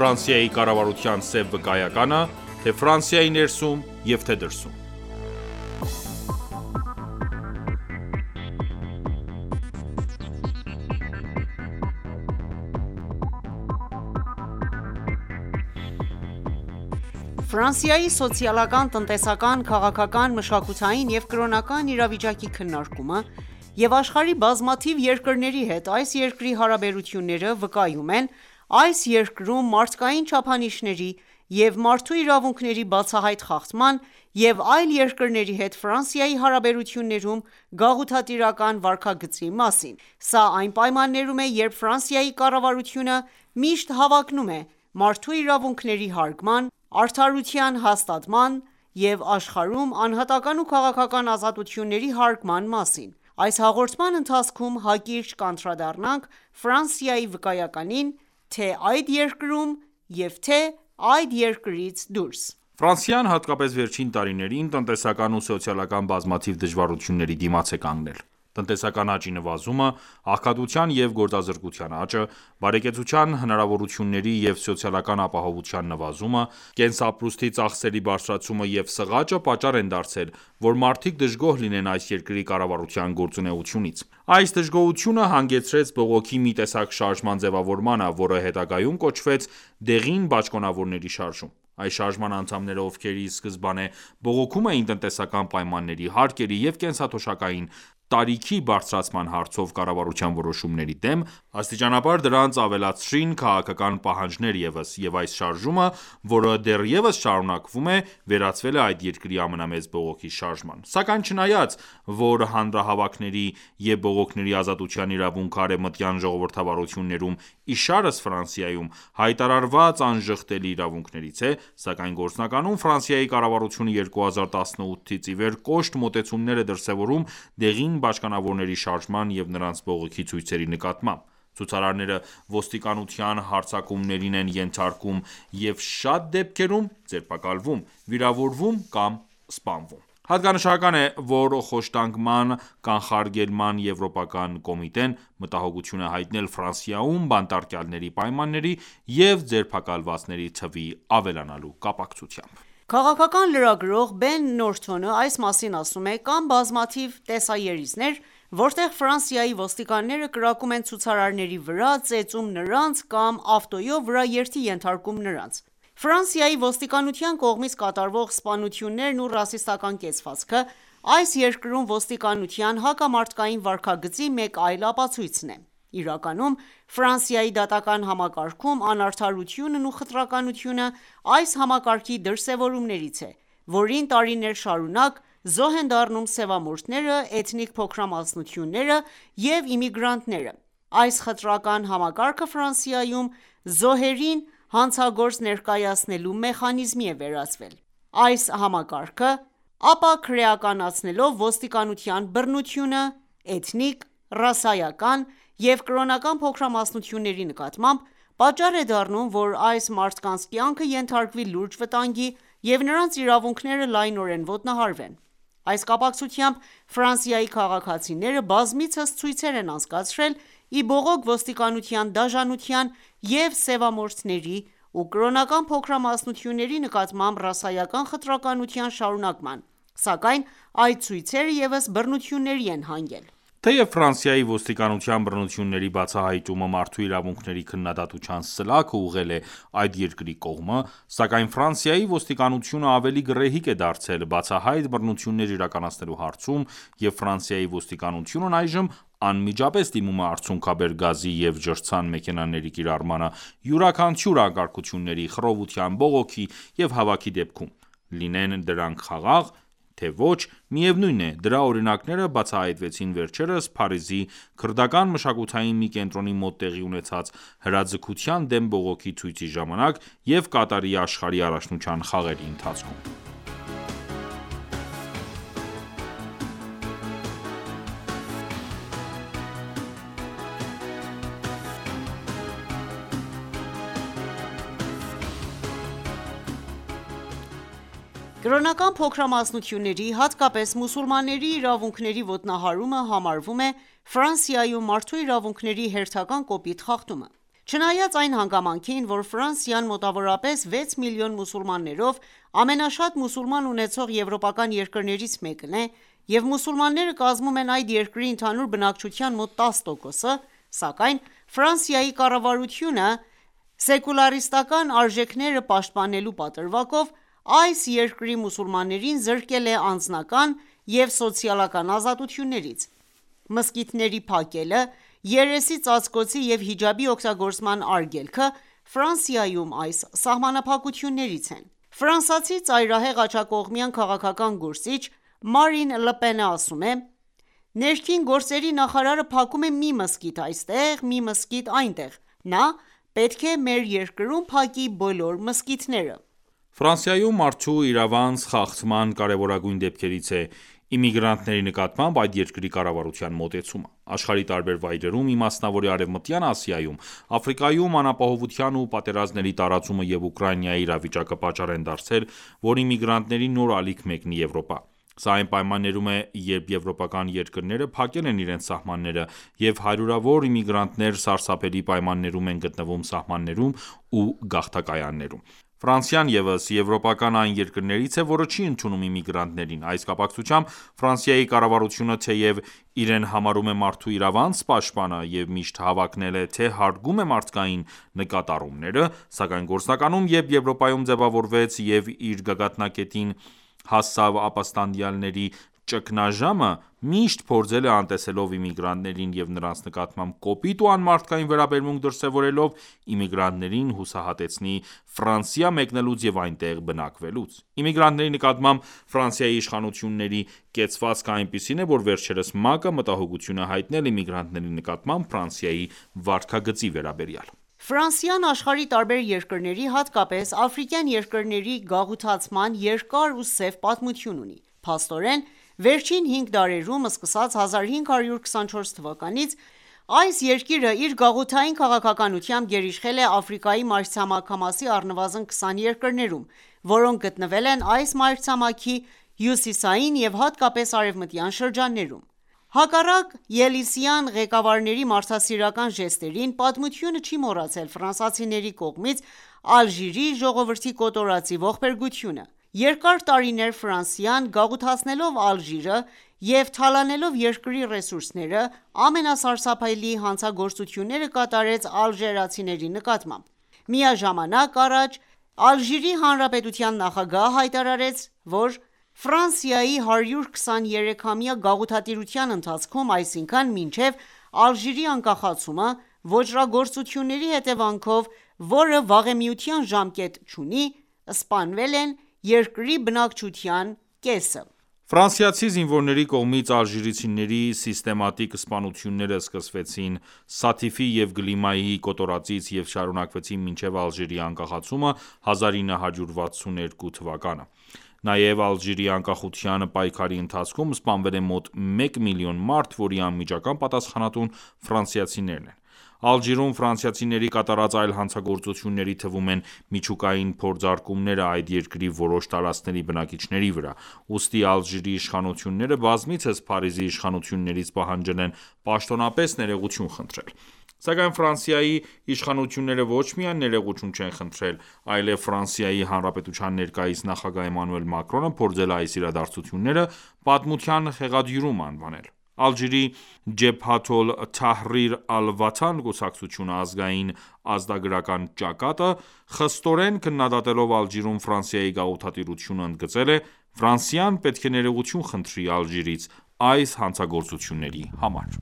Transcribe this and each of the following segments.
Ֆրանսիայի կառավարության սև վկայականը, թե Ֆրանսիայի ներսում և թե դրսում։ Ֆրանսիայի սոցիալական, տնտեսական, քաղաքական, մշակութային և կրոնական իրավիճակի քննարկումը և աշխարհի բազմաթիվ երկրների հետ այս երկրի հարաբերությունները վկայում են այս երկրում մարդկային չափանիշների և մարդու իրավունքների բացահայտ խախտման և այլ երկրների հետ Ֆրանսիայի հարաբերություններում գաղութատիրական վարքագծի մասին: Սա այն պայմաններում է, երբ Ֆրանսիայի կառավարությունը միշտ հավակնում է մարդու իրավունքների հարգման, արդարության հաստատման և աշխարհում անհատական ու քաղաքական ազատությունների հարգման մասին: Այս հաղորդման ընթացքում հակիրճ կանդրադառնանք Ֆրանսիայի վկայականին թե՝ այդ երկրում և թե՝ այդ երկրից դուրս: Ֆրանսիան, հատկապես վերջին տարիներին, տնտեսական ու սոցիալական բազմաթիվ դժվարությունների դիմաց է կանգնել: Տնտեսական աճի նվազումը, աղքատության և գործազրկության աճը, բարեկեցության հնարավորությունների և սոցիալական ապահովության նվազումը, կենսապրուստի ծախսերի բարձրացումը և սղաճը պատճառ են դարձել, որ մարդիկ դժգոհ լինեն այս երկրի կառավարության գործունեությունից: Այս դժգոհությունը հանգեցրեց բողոքի մի տեսակ շարժման ձևավորմանը, որը հետագայում կոչվեց դեղին բաճկոնավորների շարժում: Այս շարժման անդամները, ովքեր ի սկզբանե բողոքում էին տնտեսական պայմանների, հարկերի և կենսաթոշակային տարիքի բարձրացման հարցով կառավարության որոշումների դեմ, աստիճանաբար դրանց ավելացրին քաղաքական պահանջներ ևս, և այս շարժումը, որը դեռևս շարունակվում է, վերածվել է այդ երկրի ամենամեծ բողոքի շարժման: Սակայն չնայած, որ հանրահավաքների և բողոքների ազատության իրավունքը արևմտյան ժողովրդավարություններում, իշարս Ֆրանսիայում, հայտարարված անժխտելի իրավունքներից է, սակայն գործնականում Ֆրանսիայի կառավարությունը 2018-ից ի վեր կոշտ մոտեցումներ է դրսևորում դեղին բաճկոնավորների շարժման և նրանց բողոքի ցույցերի նկատմամբ: Ցուցարարները ոստիկանության հարձակումներին են ենթարկվում և շատ դեպքերում ձերբակալվում, վիրավորվում կամ սպանվում: Հատկանշական է, որ Խոշտանգման կանխարգելման եվրոպական կոմիտեն մտահոգություն է հայտնել Ֆրանսիայում բանտարկյալների պայմանների և ձերբակալվածների թվի ավելանալու կապակցությամբ: Քաղաքական լրագրող Բեն Նորթոնը այս մասին ասում է. «Կան բազմաթիվ տեսաերիցներ, որտեղ Ֆրանսիայի ոստիկանները կրակում են ցուցարարների վրա, ծեծում նրանց կամ ավտոյով վրաերթի ենթարկում նրանց: Ֆրանսիայի ոստիկանության կողմից կատարվող սպանություններն ու ռասիստական կեցվածքը այս երկրում ոստիկանության հակամարդկային վարքագծի մեկ այլ ապացույցն է: Իրականում, Ֆրանսիայի դատական համակարգում անարդարությունն ու խտրականությունը այս համակարգի դրսևորումներից է, որին տարիներ շարունակ զոհ են դառնում սևամորթները, էթնիկ փոքրամասնությունները և իմիգրանտները: Այս խտրական համակարգը Ֆրանսիայում զոհերին հանցագործ ներկայացնելու մեխանիզմի է վերածվել: Այս համակարգը, ապաքրեականացնելով ոստիկանության բռնությունը էթնիկ, ռասայական և կրոնական փոքրամասնությունների նկատմամբ, պատճառ է դառնում, որ այս մարդկանց կյանքը ենթարկվի լուրջ վտանգի և նրանց իրավունքները լայնորեն ոտնահարվեն: Այս կապակցությամբ Ֆրանսիայի քաղաքացիները բազմիցս ցույցեր են անցկացրել ի բողոք ոստիկանության դաժանության և սևամորթների ու կրոնական փոքրամասնությունների նկատմամբ ռասայական խտրականության շարունակման, սակայն այդ ցույցերը ևս բռնությունների են հանգել: Թեև Ֆրանսիայի ոստիկանության բռնությունների բացահայտումը մարդու իրավունքների քննադատության սլաքը ուղղել է այդ երկրի կողմը, սակայն Ֆրանսիայի ոստիկանությունը ավելի գռեհիկ է դարձել բացահայտ բռնություններ իրականացնելու հարցում և Ֆրանսիայի ոստիկանությունն այժմ անմիջապես դիմում է արցունքաբեր գազի և ջրցան մեքենաների կիրառմանը յուրաքանչյուր անկարգությունների, խռովության, բողոքի և հավաքի դեպքում: Լինեն դրանք խաղաղ, թե ոչ, միևնույն է, դրա օրինակները բացահայտվեցին վերջերս Փարիզի քրդական մշակութային մի կենտրոնի մոտ տեղի ունեցած հրաձգության դեմ բողոքի ցույցի ժամանակ և Կատարի աշխարհի առաջնության խաղերի ընթացքում: Կրոնական փոքրամասնությունների, հատկապես մուսուլմանների իրավունքների ոտնահարումը համարվում է Ֆրանսիայում մարդու իրավունքների հերթական կոպիտ խախտումը: Չնայած այն հանգամանքին, որ Ֆրանսիան մոտավորապես 6 միլիոն մուսուլմաններով ամենաշատ մուսուլման ունեցող եվրոպական երկրներից մեկն է, և մուսուլմանները կազմում են այդ երկրի ընդհանուր բնակչության մոտ 10%-ը, սակայն Ֆրանսիայի կառավարությունը սեկուլարիստական արժեքները պաշտպանելու պատրվակով այս երկրի մուսուլմաններին զրկել է անձնական և սոցիալական ազատություններից։ Մզկիթների փակելը, երեսի ծածկոցի և հիջաբի օգտագործման արգելքը Ֆրանսիայում այս սահմանափակություններից են։ Ֆրանսիացի ծայրահեղ աջակողմյան քաղաքական գործիչ Մարին Լը Պենը ասում է.«Ներքին գործերի նախարարը փակում է մի մզկիթ այստեղ, մի մզկիթ այնտեղ, նա պետք է մեր երկրում փակի բոլոր մզկիթները»։ Ֆրանսիայում մարդու իրավանց խախտման կարևորագույն դեպքերից է իմիգրանտների նկատմամբ այդ երկրի կառավարության մոտեցումը։ Աշխարհի տարբեր վայրերում, իմասնավորի Արևմտյան Ասիայում, Աֆրիկայում անապահովության ու պատերազմների տարածումը և Ուկրաինայի իրավիճակը պատճառ են դարձել, որ իմիգրանտների նոր ալիք մեկնի Եվրոպա։ Սա այն պայմաններում է, երբ եվրոպական երկրները փակել են իրենց սահմանները, և հարյուրավոր իմիգրանտներ սարսափելի պայմաններում են գտնվում սահմաններում ու գաղթակայաններում։ Ֆրանսիան ևս եվրոպական այն երկրներից է, որը չի ընդունում իմիգրանտներին։ Այս կապակցությամբ Ֆրանսիայի կառավարությունը թեև իրեն համարում է մարդու իրավանց պաշտպանը և միշտ հավակնել է, թե հարգում է մարդկային նկատառումները, սակայն գործնականում, երբ Եվրոպայում ձևավորվեց և իր գագաթնակետին հասավ ապստամբյանների ճգնաժամը, միշտ փորձել է անտեսելով իմիգրանտներին և նրանց նկատմամբ կոպիտ ու անմարդկային վերաբերմունք դրսևորելով, իմիգրանտներին հուսահատեցնի Ֆրանսիա մեկնելուց և այնտեղ բնակվելուց։ Իմիգրանտների նկատմամբ Ֆրանսիայի իշխանությունների կեցվածքը այնպիսին է, որ վերջերս ՄԱԿ-ը մտահոգություն է հայտնել իմիգրանտների նկատմամբ Ֆրանսիայի վարքագծի վերաբերյալ։ Ֆրանսիան աշխարհի տարբեր երկրների, հատկապես աֆրիկյան երկրների գաղութացման երկար ու սև պատմություն ունի։ Փաստորեն, վերջին 5 դարերում, սկսած 1524 թվականից, այս երկիրը իր գաղութային քաղաքականությամբ գերիշխել է Աֆրիկայի մայրցամաքի առնվազն 20 երկրներում, որոնք գտնվել են այս մայրցամաքի հյուսիսային և հատկապես արևմտյան շրջաններում։ Հակառակ ելիսյան ղեկավարների մարդասիրական ժեստերին, պատմությունը չի մոռացել ֆրանսիացիների կողմից Ալժիրի ժողովրդի կոտորածի ողբերգությունը։ Երկար տարիներ Ֆրանսիան, գաղութացնելով Ալժիրը և թալանելով երկրի ռեսուրսները, ամենասարսափելի հանցագործությունները կատարեց ալժիրացիների նկատմամբ։ Միաժամանակ առաջ Ալժիրի հանրապետության նախագահը հայտարարեց, որ Ֆրանսիայի 123-ամյա գաղութատիրության ընթացքում, այսինքն՝ մինչև Ալժիրի անկախացումը, ոճրագործությունների հետևանքով, որը վաղեմիության ժամկետ չունի, սպանվել են երկրի բնակչության կեսը։ Ֆրանսիացի զինվորների կողմից ալժիրցիների սիստեմատիկ սպանությունները սկսվեցին Սաթիֆի և Գլիմայի կոտորածից և շարունակվեցին մինչև Ալժիրի անկախացումը 1962 թվականը։ Նաև Ալժիրի անկախության պայքարի ընթացքում սպանվել է մոտ 1 միլիոն մարդ, որի անմիջական պատասխանատուն ֆրանսիացիներն են։ Ալժիրում ֆրանսիացիների կատարած այլ հանցագործությունների թվում են միջուկային փորձարկումները այդ երկրի որոշ տարածքների բնակիչների վրա, ուստի Ալժիրի իշխանությունները բազմիցս Փարիզի իշխանություններից պահանջել են պաշտոնապես ներողություն խնդրել։ Սակայն Ֆրանսիայի իշխանությունները ոչ միայն ներողություն չեն խնդրել, այլև Ֆրանսիայի Հանրապետության ներկայիս նախագահ Էմանուել Մակրոնը փորձել է այս իրադարձությունները պատմության հեղադյուրում անվանել։ Ալժիրի Ջեբհաթ ալ-Թահրիր Ալ-Վաթան կուսակցությունը ազգային ազատագրական ճակատը, խստորեն քննադատելով Ալժիրում Ֆրանսիայի գաղութատիրությունը, ընդգծել է.«Ֆրանսիան պետք է ներողություն խնդրի Ալժիրից այս հանցագործությունների համար»։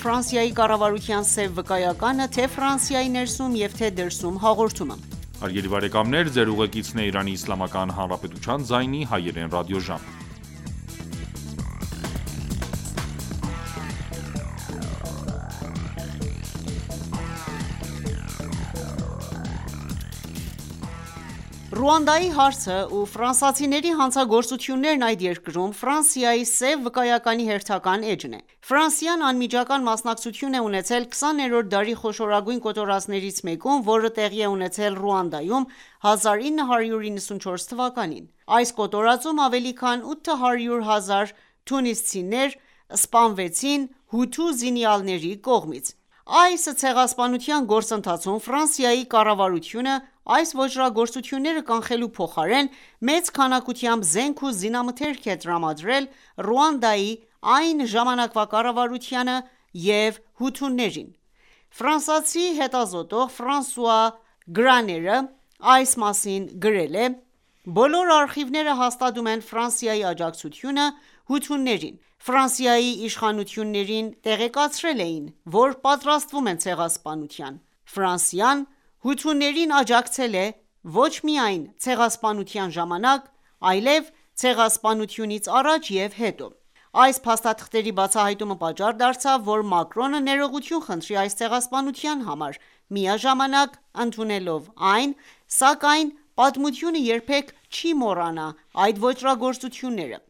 Ֆրանսիայի կառավարության սև վկայականը թե Ֆրանսիայի ներսում և թե դրսում հաղորդումը։ Ռուանդայի հարցը ու ֆրանսիացիների հանցագործություններն այդ երկրում Ֆրանսիայի սև վկայականի հերթական էջն է։ Ֆրանսիան անմիջական մասնակցություն է ունեցել 20-րդ դարի խոշորագույն կոտորածներից մեկում, որը տեղի է ունեցել Ռուանդայում 1994 թվականին։ Այս կոտորածում ավելի քան 800,000 թունիսցիներ սպանվեցին հութու զինյալների կողմից։ Այս ցեղասպանության գործընթացում Ֆրանսիայի կառավարությունը այս ոճրագործությունները կանխելու փոխարեն մեծ քանակությամբ զենք ու զինամթերք է տրամադրել Ռուանդայի այն ժամանակվա կառավարությանը և հութուներին։ Ֆրանսիացի հետազոտող Ֆրանսուଆ Գրաները այս մասին գրել է.«Բոլոր արխիվները հաստատում են Ֆրանսիայի աջակցությունը հութուներին։ Ֆրանսիայի իշխանություններին տեղեկացրել էին, որ պատրաստվում են ցեղասպանության։ Ֆրանսիան հութուներին աջակցել է ոչ միայն ցեղասպանության ժամանակ, այլև ցեղասպանությունից առաջ և հետո»։ Այս փաստաթղթերի բացահայտումը պատճառ դարձավ, որ Մակրոնը ներողություն խնդրի այս ցեղասպանության համար, միաժամանակ ընդունելով այն, սակայն պատմությունը երբեք չի մոռանա այդ ոճրագործությունները։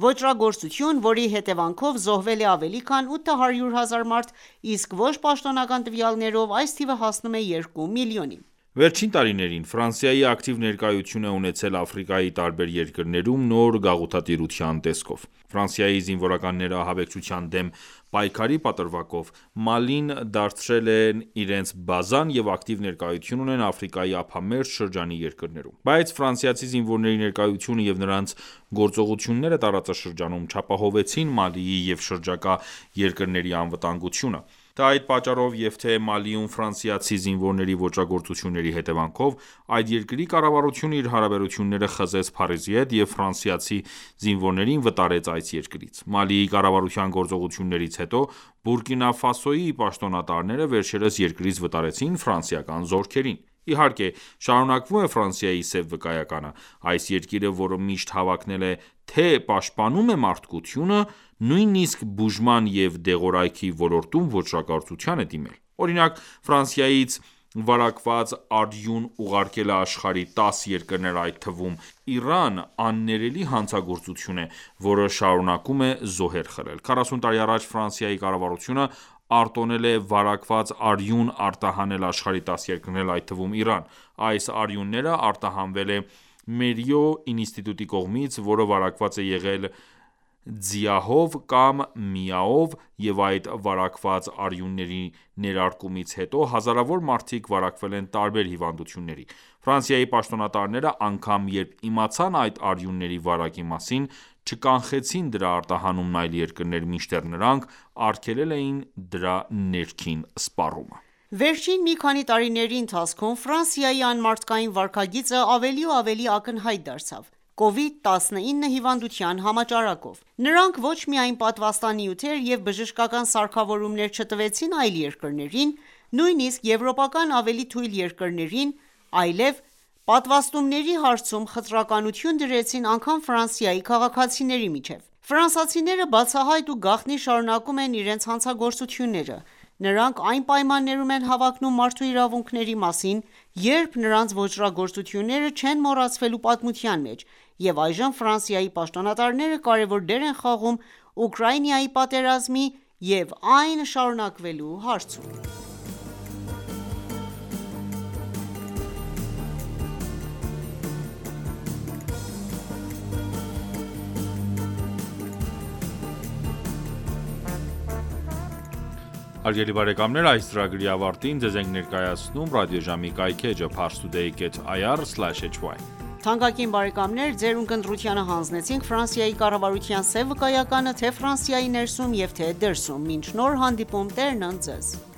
Ոճրագործություն, որի հետևանքով զոհվել է ավելի քան 800,000 մարդ, իսկ ոչ պաշտոնական տվյալներով այս թիվը հասնում է 2 միլիոնի։ Վերջին տարիներին Ֆրանսիայի ակտիվ ներկայություն է ունեցել Աֆրիկայի տարբեր երկրներում նոր գաղութատիրության տեսքով։ Ֆրանսիայի զինվորականները ահաբեկչության դեմ պայքարի պատրվակով Մալին դարձրել են իրենց բազան և ակտիվ ներկայություն ունեն Աֆրիկայի ափամերձ շրջանի երկրներում։ Բայց ֆրանսիացի զինվորների ներկայությունը և նրանց գործողությունները տարածաշրջանում չապահովեցին Մալիի և շրջակա երկրների անվտանգությունը։ Թե այդ պատճառով և թե Մալիում ֆրանսիացի զինվորների ոճրագործությունների հետևանքով, այդ երկրի կառավարությունը իր հարաբերությունները խզեց Փարիզի հետ և ֆրանսիացի զինվորներին վտարեց այս երկրից։ Մալիի կառավարության գործողություններից հետո Բուրկինա Ֆասոյի պաշտոնատարները վերջերս երկրից վտարեցին ֆրանսիական զորքերին։ Իհարկե, շարունակվում է Ֆրանսիայի սև վկայականը։ Այս երկիրը, որը միշտ հավակնել է թե պաշտպանում է մարդկությունը, նույնիսկ բուժման և դեղորայքի ոլորտում ոճրագործության է դիմել։ Օրինակ, Ֆրանսիայից վարակված արյուն ուղարկելը աշխարհի 10 երկրներ, այդ թվում Իրան, աններելի հանցագործություն է, որը շարունակում է զոհեր խլել։ 40 տարի առաջ Ֆրանսիայի կառավարությունը արտոնել է վարակված արյուն արտահանել աշխարհի 10 երկրներ, այդ թվում Իրան։ Այս արյունները արտահանվել է Մերիո ինստիտուտի կողմից, որը վարակված է եղել ձիահով կամ միաով, և այդ վարակված արյունների ներարկումից հետո հազարավոր մարդիկ վարակվել են տարբեր հիվանդությունների։ Ֆրանսիայի պաշտոնատարները անգամ երբ իմացան այդ արյունների վարակի մասին, չկանխեցին դրա արտահանումն այլ երկրներ, մինչդեռ նրանք արգելել էին դրա ներքին սպառումը։ Վերջին մի քանի տարիների ընթացքում Ֆրանսիայի անմարդկային վարքագիծը ավելի ու ավելի ակնհայտ դարձավ COVID-19 հիվանդության համաճարակով։ Նրանք ոչ միայն պատվաստանյութեր և բժշկական սարքավորումներ չտվեցին այլ երկրներին, նույնիսկ եվրոպական ավելի թույլ երկրներին, այլև պատվաստումների հարցում խտրականություն դրեցին անգամ Ֆրանսիայի քաղաքացիների միջև։ Ֆրանսիացիները բացահայտ ու գաղտնի շարունակում են իրենց հանցագործությունները։ Նրանք այն պայմաններում են հավակնում մարդու իրավունքների մասին, երբ նրանց ոճրագործությունները չեն մոռացվելու պատմության մեջ, և այժմ Ֆրանսիայի պաշտոնատարները կարևոր դեր են խաղում Ուկրաինայի պատերազմի և այն շարունակվելու հարցում։ Հարգելի բարեկամներ, այս ծրագրի ավարտին ձեզ ենք ներկայացնում ռադիոժամի կայքէջը parstoday.ir/hy: Թանկագին բարեկամներ, ձեր ունկնդրությանը հանձնեցինք Ֆրանսիայի կառավարության սև վկայականը թե Ֆրանսիայի ներսում և թե դրսում։ Մինչ նոր հանդիպում, Տերն ընդ Ձեզ: